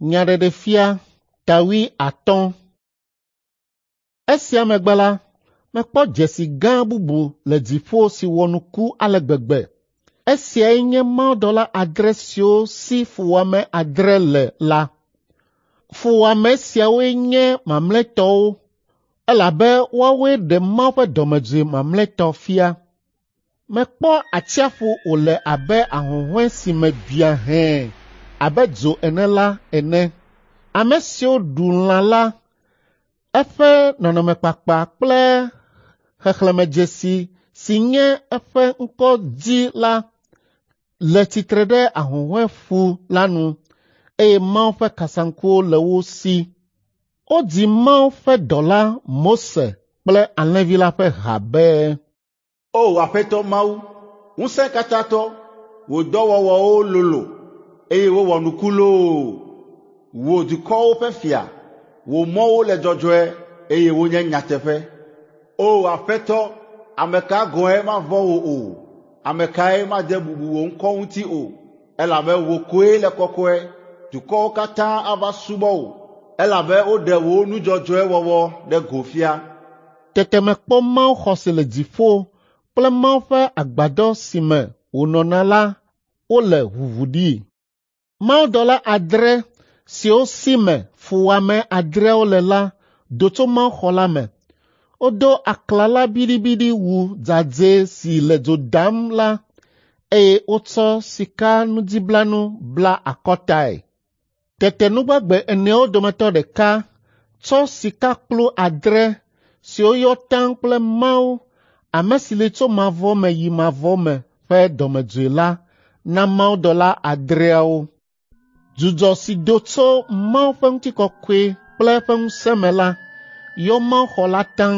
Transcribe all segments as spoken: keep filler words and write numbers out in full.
Nyaɖeɖefia ta wuiatɔ̃. Esia megbe la, mekpɔ dzesi gã bubu le dziƒo si wɔ nuku ale gbegbe. Esiae nye mawudɔla adre siwo si fuwɔame adre le la. Fuwɔame siawoe nye mamlɛtɔwo elabe woawoe ɖe Mawu ƒe dɔmedzoe mamlɛtɔ fia. Mekpɔ atsiaƒu wòle abe ahuhɔ̃e si me biã hɛ̃ abe dzo ene la ene. Ame siwo ɖu lã la, eƒe nɔnɔmekpakpa kple xexlẽmedzesi si nye eƒe ŋkɔ dzi la le tsitre ɖe ahuhɔ̃eƒu la nu eye Mawu ƒe kasaŋkuwo le wo si. Wodzi Mawu ƒe dɔla Mose kple Alẽvi la ƒe ha be: O Aƒetɔ Mawu, ŋusẽkatãtɔ, wò dɔwɔwɔwo lolo eye wowɔ nuku loo! Wò dukɔwo ƒe fia, wò mɔwo le dzɔdzɔe eye wonye nyateƒe. O Aƒetɔ, ame ka gɔ̃e mavɔ̃ wò o? Ame kae made bubu wò ŋkɔ ŋuti o? Elabe wò koe le kɔkɔe. Dukɔwo katã ava subɔ wò, elabe woɖe wò nu dzɔdzɔe wɔwɔ ɖe go fia. Tete mekpɔ mawuxɔ si le dziƒo kple Mawu ƒe agbadɔ si me wònɔna la wole ʋuʋu ɖi. Mawudɔla adre siwo si me fuwɔame adreawo le la do tso mawuxɔ la me. Wodo aklala biɖibiɖi wu dzadzɛ si le dzo dam la eye wotsɔ sikanudziblanu bla akɔtae. Tete nugbagbe eneawo dometɔ ɖeka tsɔ sikakplu adre siwo yɔ taŋ kple Mawu, ame si li tso mavɔ me yi mavɔ me ƒe dɔmedzoe la na mawudɔla adreawo. Dzudzɔ si do tso Mawu ƒe ŋutikɔkɔe kple eƒe ŋusẽ me la yɔ mawuxɔ la taŋ.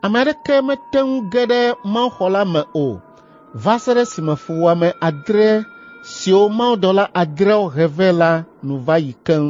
Ame aɖeke mete ŋu ge ɖe mawuxɔ la me o va se ɖe esime fuwɔame adre siwo mawudɔla adreawo he vɛ la nu va yi keŋ.